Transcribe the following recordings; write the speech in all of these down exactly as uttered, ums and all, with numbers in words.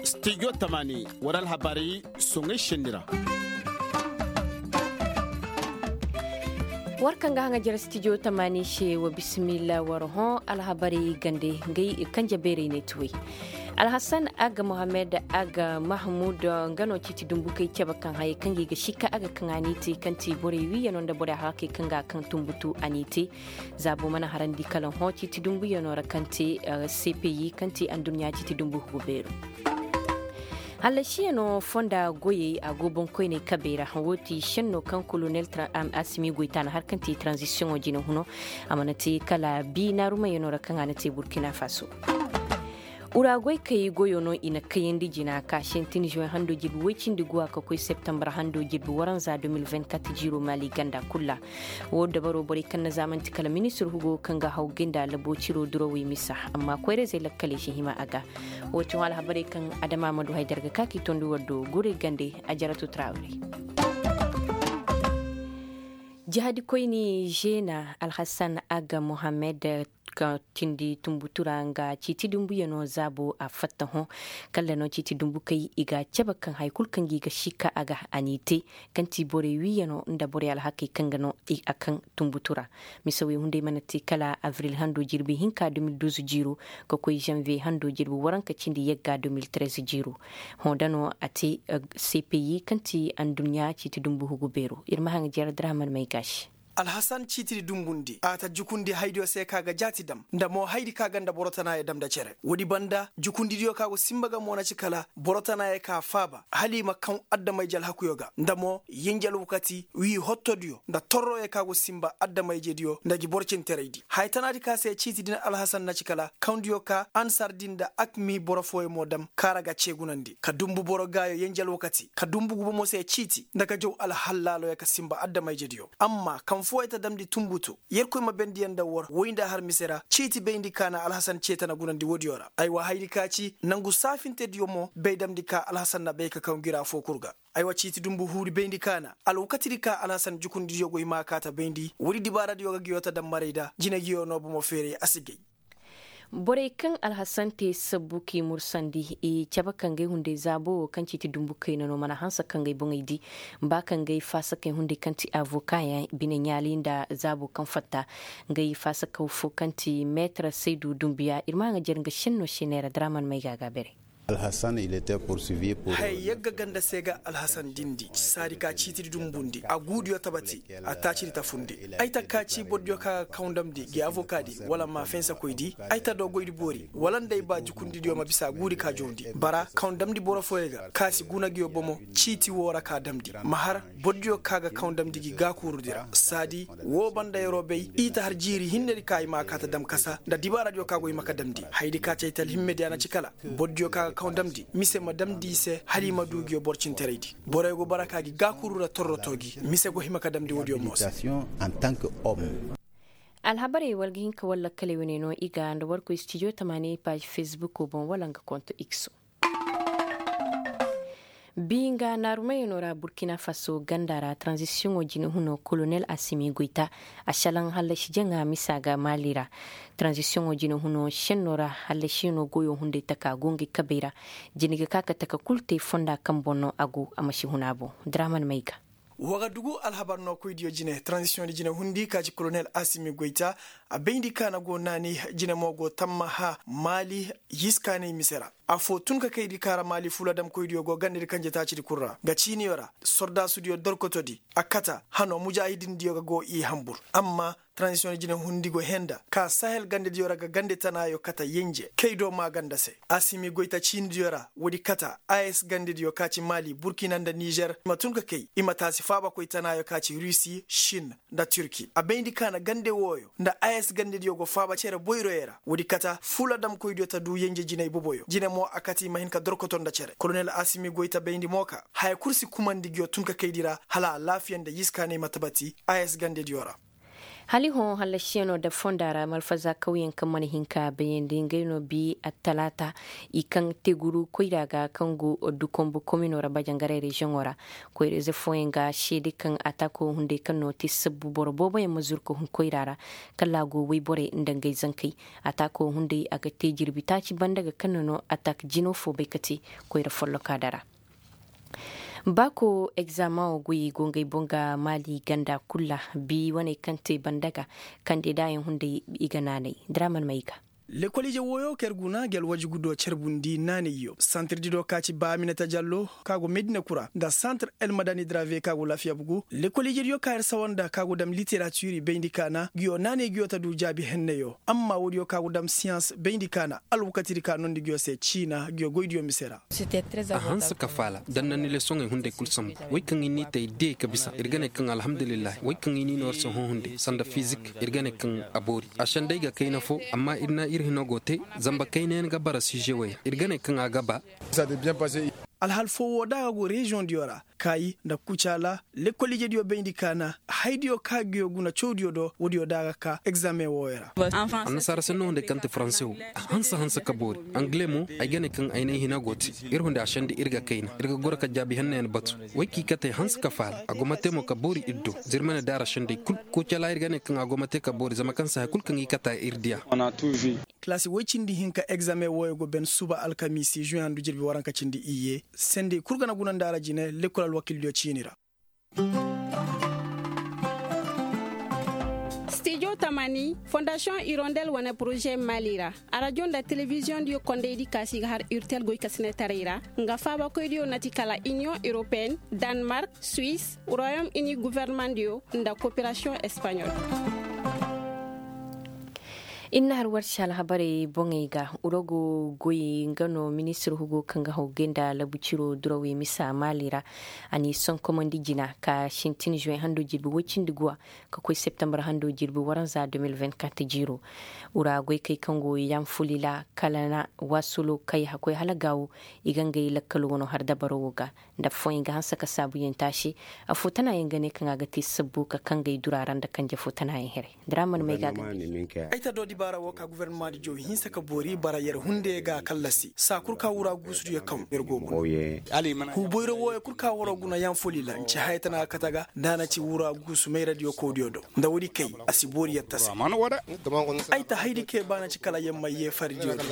Stijo tamani war alhabarey soŋay senni ra. War kaŋ ga haŋa jere stijo tamani se wa bismillah war hõ alhabarey gande. Ngey kanje beerey ne tuwey. Alhasan aga mohammed aga mahmud nga no ciiti dumbukey cabe kaŋ hayey kaŋ ga i ga sika aga kaŋ a n'i te kaŋ ti borey wiiyano nda borey alhakey kaŋ ga a kaŋ tumbutu a n'i te. Zaabo mana harandi kala hõ ciiti dumbuyano ra kaŋ te cpi kaŋ ti anduɲɲa ciiti dumbu hugu beero. Hallasiyano fonda goyey a go boŋkoyney kabey ra wo ti senno kaŋ kolonel asimi goyta na har kaŋ ti tranzisiyoŋo jine huno. A mana te kala bi naarumayano ra kaŋ a na te burkina faso. Uragoykey goyo no i na kayandi jina ka sintin juwen hando jirbi woy cindi guwa ka koy septembar hando jirbi waranza deux mille vingt-quatre jiiro maali ganda kulu ra. Wo dabaro borey kaŋ na zaamanti kala ministir hugo kaŋ ga haw gay nda labo ciro durawey misa. Amma koyra-izey lakkaley si hima a ga. Wo ti hõ alhabarey kaŋ adama ma du haydar ga ka k'i tondi war do guray gande. A jarato trawre. Jihadikoyni žena alhasan aga mohammed ka tindi tumbutu ra nga ciiti dumbuyano zaabo a fatta hõ. Kala no ciiti dumbukey i ga a cabe kaŋ hari kulu kaŋ ga i ga sika a ga a n'i te. Kaŋ ti borey wiiyano nda borey alhakey kaŋ ga no a kaŋ tumbutu ra. Mise wey hunday mana te kala avril hando jirbi hinka deux mille douze jiiro ka koy žanviye hando jirbi waranka cindi yagga deux mille treize jiiro. Hõ da no a te cpi kaŋ ti anduɲɲa ciiti dumbu hugu beero ir ma haŋ jeer draman may ga se. Alhasan ciitidi dumbundi a ta jukundi haydiyo se ka ga jaati dam nda mo haydi ka ga nda boro tanaayo dam nda cere woodi banda jukundidiyo ka go sinba ga mo na ci kala boro tanaayo ka faaba hala i ma kaŋ addamayje alhakuyo ga nda mo yinji alwakati wii hottodiyo nda torroyo ka go sinba addamayjediyo nda ngi boro cinteraydi haya tanaadi ka se ciitidi na alhasan na ci kala kawndiyo ka ansardi nda akmi boro fooyo mo dam kaara ga ceegunandi ka dumbu boro gaayo yinji alwakati ka dumbu gubo mo se ciiti nda ka jaw alhallaaloyo ka sinba addamayjediyo amma kaŋ fooyo ta damndi tumbutu yerkoy ma bendiyaŋ nda war woy nda har mise ra ciiti bayndi ka na alhasan ceeta na gunandi woodiyo ra aywa hayri ka ci nangu saafintediyo mo bay damndi ka alhasan na bay ka kaw ngira foo kul ga. Aywa ciiti dumbu huuri bayndi ka na alwakatidi ka alhasan jukundidiyo go hima a kaata bayndi woodi dibaaradiyo ga ngiyo ta dammaray nda jinaygiyo no bomo feeray a si gay. Borey kaŋ alhasan te sabbu k'i mursandi i cabe ka ngey hunday zaabo wo kaŋ ciiti dumbu kayna no mana hanse ka ngey boŋey di ba ka ngey faasakey hunday kaŋ ti avokayaŋ bine ɲaali nda zaabo kaŋ fatta. Ngey faasakaw fo kaŋ ti meetar saydu dumbuya ir ma haŋa jer nga senno seney ra draman may ga a ga bere. Haya yagga ganda se ga alhasan dindi saadi ka ciitidi dumbundi a guudiyo tabati a taacidi tafundi. Ay ta kaaci bordiyo ka ga kaw ndamndi gi avokaadi wala ma fensakoydi ay ta do goydi boori wala nda ay ba jukundidiyo ma bisa guudi ka jawndi bara kaw ndamndi boro fooyo ga ka si guna ngiyo bomo. Ciiti woo ra ka damndi ma har bordiyo ka ga kaw ndamndi gi gaakuurudi ra saadi woo banda yeroo bay i ta har jiiri hinnedi ka i ma a kaa ta dam kasa nda dibaaradiyo ka go i ma ka damndi hayadi ka ci ay ta alhimmediya na ci kala bordiyo ka ga kaw ndamndi mise ma damndi i se hala i ma duu ngiyo boro cinteraydi. Boroyo go bara ka gi gaakuuru ra torrotoo gi mise go hima ka damndi woodiyo mo se. Alhabarey war ga hin ka war lakkaley wane no i ga nda war koy stijo tamaani paaz fesbuko boŋ wala nga konto ikso. Biinga naarumayano ra burkina faso ganda ra tranzisiyoŋo jine huno kolonel asimi goyta a šalaŋ hallasi jaŋa misa ga maali ra. Tranzisiyoŋo jine huno šenno ra hallasiyano goyo hunday taka go ngey kabey ra. Jine ga ka ka taka kul te fonda kaŋ boŋ no a go a ma si hun a boŋ. Draman may ga. Wa ga dugu alhabar no koydiyo jine tranzisiyoŋdi jine hundi ka ci kolonel asimi goyta. A bayndi ka na go naani jine mo go tammaha maali yiskaanay mise ra. Afoo tun ka kaydi ka ra maali fuladamkoydiyo go gandedi kanje taacidi kul ra nga ciiniyo ra sordaasudiyo dorkotodi a kata hano mujaahidindiyo ga go i hanbur. Amma tranzisiyoŋ jine hundi go henda ka sahel gandediyo ra ga gande tanaayo kata yenje kay do maaganda se. Asimi goyta ciinidiyo ra woodi kata as gandediyo ka ci maali burkina nda nizer i ma tun ka kay i ma taasi faabakoy tanaayo ka ci rusi shin nda turki a bayndi ka na gande wooyo nda as gandediyo go faaba cere boyroyo ra woodi kata fuladamkoydiyo ta duu yenje jinay boboyo jine mo a kata i ma hin ka dorkoto nda cere kolonel asimi goyta bayndi mo ka haya kul si kumandi ngiyo tun ka kaydi ra hala alaafiya nda yiskaanay ma tabati as gandediyo ra. Hala i hõ hallasiyaŋo nda fonda ra malfaza kawyaŋ kaŋ mana hin ka bayandi ngey no bi attalaata i kaŋ teguru koyra ga kaŋ go dukombu komino ra bajangaray reziyoŋo ra. Koyra ize fooyaŋ ga seede kaŋ ataako hunday kaŋ no te sabbu boro booboyaŋ ma zuru ka hun koyra ra kala a go woyborey nda ngey zankey. Ataako hunday a ga te jirbi taaci banda ga kaŋ no no ataak jino fo bay ka te koyra folloka dara. Baako egzaameŋo goyey go ngey boŋ ga maali ganda kulu ra. Bi waney kaŋ te banda ga kandidaayaŋ hunday i ga naanay diraman ma i ga. Lekol ije wooyo kaŋ ir guna ngi alwaji gudo carbundi naanayyo santir dido ka ci ba aminata jallo ka go medina kura nda santir elmadani drave ka go lafiya bugu lekol ijediyo ka ir sawa nda ka go dam literatiri bayndi kaana ngiyo naanay ngiyo ta du jaabi henneyo amma woodiyo ka go dam siyans bayndi kaana alwakatidi ka nondi ngiyo se ciina ngiyo goydiyo mise ra. A hanse ka faala da na ni lesoŋey hunday kul sambu. Wey kaŋ i n'i te i diyey ka bisa ir ga ne kaŋ alhamdulillahi wey kaŋ i n'i no war se hõ hunday sanda fizik ir ga ne kaŋ a boori. A sendey ga kayna fo amma ir na ir hino go te. Zamba kayna yaŋ ga bara size wey ra ir ga ne kaŋ a ga ba. Alhal fo wo da a ga go reziyoŋ diyo ra kaayi nda kucaala lekol ijediyo bayndi kaana haydiyo ka ga yo guna cawdiyo do woodiyo da a ga ka egzaameŋ wooyo ra. Annasaara senno hunday kaŋ ti faranse wo a hanse hanse ka boori. Angale mo ay ga ne kaŋ ay n'ay hina go te. Ir hunday a sende ir ga kayna ir ga goro ka jaabi henna yaŋ batu. Way kaŋ i kate hanse ka faala a go ma te mo ka boori ir do. Zirmane daara sendey kul kucala ir ga ne kaŋ a go ma te ka boori zama kaŋ se hay kul kaŋ i kata ir diya. Kalaasi woy cindi hinka egzaameŋ wooyo go ben suba alkamiisi zuwe handu jirbi waranka cindi iyye. Sendey kul ga na guna nda ra jine lekkol alwakildiyo ciini ra. Stijo tamani fondasiyoŋ irondel wane poroze mali ra. Arajo nda telebiziyoŋ diyo kondey di kaasi ga har urtel goy ka sine taray ra. Nga faabakoy diyo na ti kala iniyoŋ europeen, danmark, suwis, royom ini guverneman diyo nda koperasiyoŋ espaɲol. Ir na har warsi alhabarey boŋey ga urogo goy nga no ministir hugo kaŋ ga haw gay nda labu ciro durawey misa maali ra. A n'i sonkomandi jina ka sintin zuwe hando jirbi woy cindi guwa ka koy septembar hando jirbi waranza de mil vingt-quatre jiiro. Ura goykey kaŋ go yanfulila kala na waasulo kay hakkoy hala gaawo. I ga ngey lakkal wano har dabaro wo ga nda affooyaŋ ga hanse ka saabuyaŋ taasi. Affoo tanaayaŋ ga ne kaŋ a ga te sabbu ka kangey dura ra nda kanje foo tanaayaŋ here. Diraman may ga ga ay ta do dibaara wo ka guvernemandi jow hinse ka boori bara yer hunde ga kallasi saa kul ka wura guusudiyo kaŋ yer go guna. Huuboyro wooyo kul ka waro guna yaŋ foli la nci haya tana ga kate ga nda a na ci wura guusu mayradiyo kawdiyo do. Nda woodi kay a si boori yer tase. Ay ta haydi kay ba na ci kala yer ma yeefaridiyo do.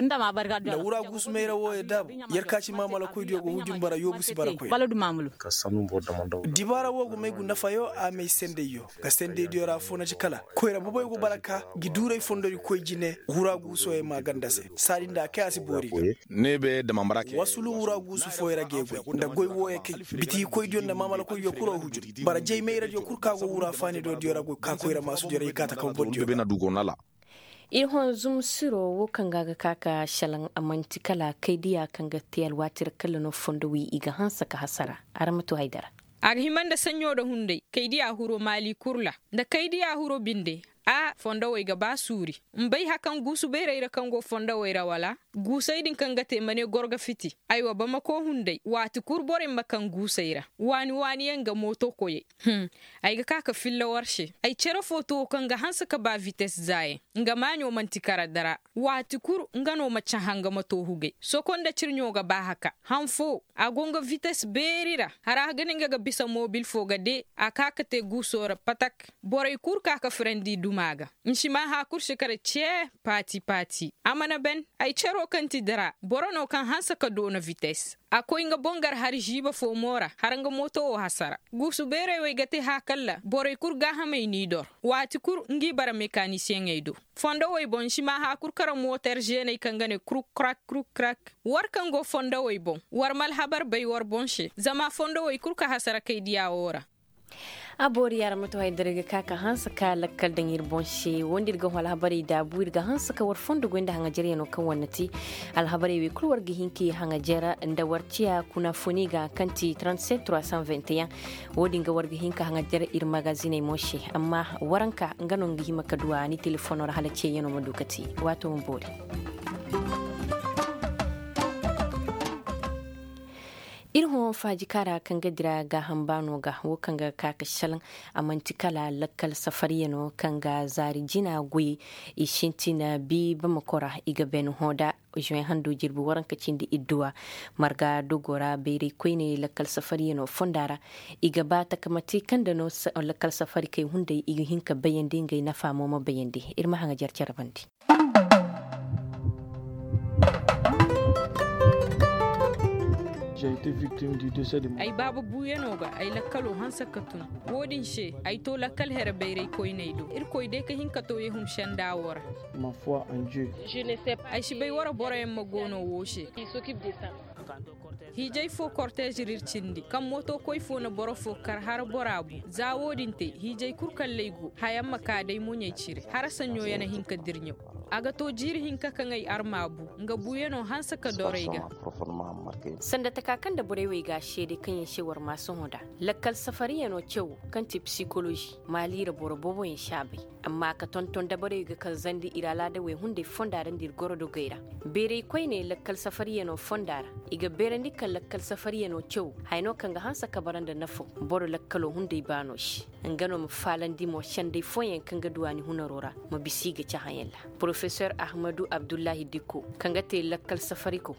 Nda wura guusu mayra wooyo daabu yer ka ci maamalakoydiyo go hujun bara yoobu si bara koy. Dibaara woo go may gu nafayo a may sendeyyo. Ka sendeydiyo ra foo na ci kala koyra boboyo go bara ka ngi duuray fondori koy jine wura guusoyo ma ganda se saadi nda a kay a si boori ga. Wasulu wura guusu fooyo ra ga i goy nda goy wooyo kay bitigi koydiyo nda maamalakoydiyo kul ra hujur bara jay mayradiyo kul ka go wura faanido diyo ra goy ka koyra maasudiyo ra i kaata kaw bordiyo. Ir honzum siro wo kaŋ ga a ga ka ka šelaŋ a man'ti kala kaydiya kaŋ ga te alwaati ra kala no fondowey i ga hanse ka hasara. Araŋ ma to haydara. A ga hima nda saɲɲo nda hunday kaydiya huro maali kul ra nda kaydiya huro binde. A fondowey ga ba suuri. M'bay hakaŋ guusu beerey ra kaŋ go fondowey ra wala? Guusey din kaŋ ga te ma ne goro ga fiti. Aywa bamako hunday waati kul borey ma kaŋ guusey ra waani waani yaŋ ga mooto koyey. Ay ga ka ka filla war se ay cere fo to kaŋ ga hanse ka ba vites zaayaŋ. Nga maaɲo man'ti kara dara waati kul nga no ma caha nga ma to hugay sokonda cirɲo ga ba haka han fo. A go nga vites beeri ra hara ga ne nga ga bisa mobil fo ga de a ka ka te guuso ra patak. Borey kul ka ka firandi duma ga. N'si ma haakur si kara cee paati paati a mana ben. Ay cero kaŋ ti dara boro no kaŋ hanse ka doona vites. A koy nga boŋ gar hari žiiba fo mo ra har nga mooto wo hasara. Guusu beerey wey ga te haakalla borey kul gaahamey n'i dor. Waati kul ngi bara mekanisiyeŋey do. Fondowey boŋ si ma haakur kara mooter žeeney kaŋ ga ne kruk krak kruk krak. War kaŋ go fondowey boŋ war ma alhabar bay war boŋ se zama fondowey kul ka hasara kay diya wo ra. A boori yaŋ ra ma to haydara ga ka ka hanse ka lakkal daŋ ir boŋ se wo nda ir ga hõ alhabarey daabu ir ga hanse ka war fondo goy nda haŋajaryaŋo kaŋ war na te. Alhabarey wey kulu war ga hin ka ir haŋajar nda war ciya kuna foni ga kaŋ ti trente-sept trois cent vingt et un. Wo- din ga war ga hin ka haŋajar ir magaziney mo se amma waranka nga no nga hima ka du a ni telefono ra hala ciyayaŋo ma du ka te. Waato ma boori. Ir hõ faaji kaara kaŋ ga dira gaaham baano ga wo kaŋ ga ka ka šelaŋ. A man'ti kala lakkal safariyanoo kaŋ ga zaari jina goy i sintina bi bamakora i ga bene hõ da. Zuwen hando jirbi waranka cindi idduwa marga dogo ra bayray koyney lakkal safariyanoo fonda ra. I ga ba takamati kaŋ da no lakkal safarikey hunday i ga hin ka bayandi ngey nafa mo ma bayandi. Ir ma haŋajer cere bandi. Ay baaba buuyanoo ga ay lakkaloo hanse ka tun. Wo-din se ay too lakkal here bayray koyney do irkoy day ka hin ka too yehum senda woo ra. Ay si bay wara boroyaŋ ma goonoo woo se. Hiijay foo korteez ir ir cindi kaŋ mootokoy foo na boro foo kar har bora bu za wo-din te hiijay kul kalley go hayaŋ ma kaa day moɲey cire har saɲɲo ya na hin ka dirɲaw. A ga too jiiri hinka kaŋ ay arma bu nga buuyanoo hanse ka doro ay ga. Sanda taka kaŋ nda borey wey ga a seede kaŋ yaŋ se war maa sohõ nda lakkal safariyanoo cawo kaŋ ti psikolozi maaliira boro booboyaŋ si a bay. Amma a ka tonton dabarey ga kaŋ zandi ir alaadawey hunday fonda ra nda ir gorodogey ra. Beeray koyney lakkal safariyanoo fonda ra i ga beerandi kaŋ lakkal safariyanoo cawo haya no kaŋ ga hanse ka bara nda nafo boro lakkaloo hunday baano se. Nga no ma faalandi mo senday fooyaŋ kaŋ ga duwaani hunaroo ra ma bisa i ga cahãyaŋ ra. Porofesor ahmadu abdullahi dikko kaŋ ga te lakkal safariko.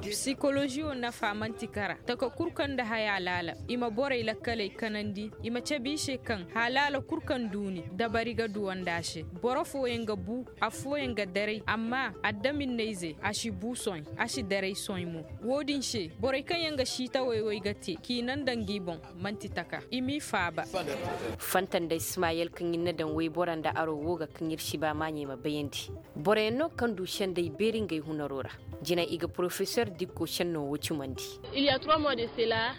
Psikoložiyo nafa man'ti kara taka kul kaŋ nda haya laala i ma borey lakkaley kanandi i ma cabe i se kaŋ haalaala kul kaŋ duuni dabari ga duwandi a se. Boro fooyaŋ ga bu affooyaŋ ga daray amma adaminney-ize a si bu soy a si daray soy mo. Wo-din se borey kaŋ yaŋ ga siitawey wey ga te k'i naŋ nda ngi boŋ man'ti taka i m'i faaba. Fanta nda ismayel kaŋ ir na daŋ woybora nda aro woo ga kaŋ ir si ba maaɲey ma bayandi. Boroyaŋ no kaŋ du senday beeri ngey hunaroo ra. Jina i ga porofesor dikko sennoo woo cumandi.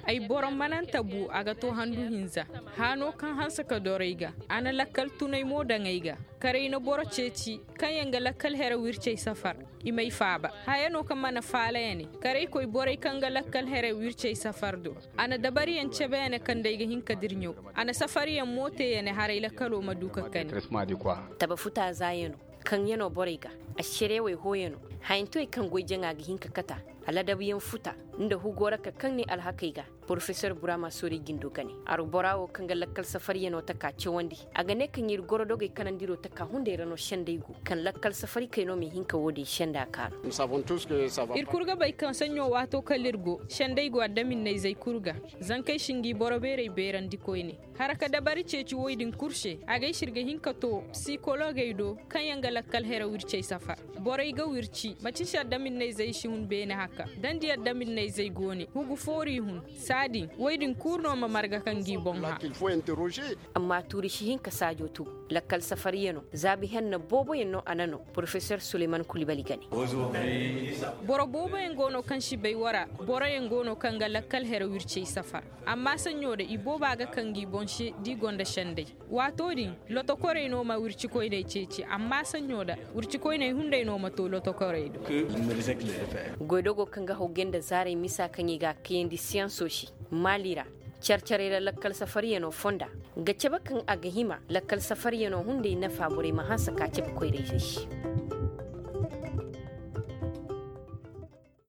Ay boro mananta bu a ga too handu hinza. Haanoo kaŋ hanse ka doro ay ga a na lakkal tunay mo daŋ ay ga. Karay na boro ceeci kaŋ yaŋ ga lakkal here wircey safar. I may faaba haya no kaŋ mana faala ya ne. Karaykoy borey kaŋ ga lakkal here wircey safar do. A na dabariyaŋ cebe ya ne kaŋ day ga hin ka dirɲaw. A na safariyaŋ mo te ya ne haray lakkaloo ma du ka kani. Taba futa zaayano kaŋ yano borey ga. Ašerewey hooyano hayantowey kaŋ goy jaŋa ga hin ka kata. Aladabuyaŋ futa nda hugo ra ka kaŋ ne alhakey ga. Porofesor burama soorey jindo gane arbora wo kaŋ ga lakkal safaryanoo taka cawandi. A ga ne kaŋ ir gorodogey kanandiro taka hunday ra no senday go kaŋ lakkal safarikey no m'i hin ka wo-din senda kaanu. Ir kul ga bay kaŋ saɲɲo waato kala ir go senday go adaminnayzey kul ga. Zankey si ngi boro beerey beerandi koyne. Hara ka dabari ceeci woy din kul se a gay se ir ga hin ka to psikologey do kaŋ yaŋ ga lakkal here wircey safar. Borey ga wirci macin se adaminnayzey si hun beene haka dandi adaminnayzey go ne hugu foori hun. Saa din woy din kul no ma marga ka ngi boŋ hã. Amma tuuri si hin ka saajo tugu lakkal safaryanoo zaabi henna booboyaŋ no a na no porofesor suleyman kulibali gane. Boro booboyaŋ go no kaŋ si bay wara boroyaŋ go no kaŋ ga lakkal here wircey safar. Amma saɲɲo da i booba ga kaŋ gi boŋ se da i gonda senday. Waato din lotokorey no ma wircikoyney ceeci amma saɲɲo da wircikoyney hunday no ma to lotokorey do. Goydogo kaŋ ga hawgay nda zaaray misa kaŋ i ga a kayandi siyanso se maali ra. Care-carey ra lakkal safaryanoo fonda ga cabe kaŋ a ga hima lakkal safaryanoo hunday nafa borey ma hanse ka cabe koyrayzey se.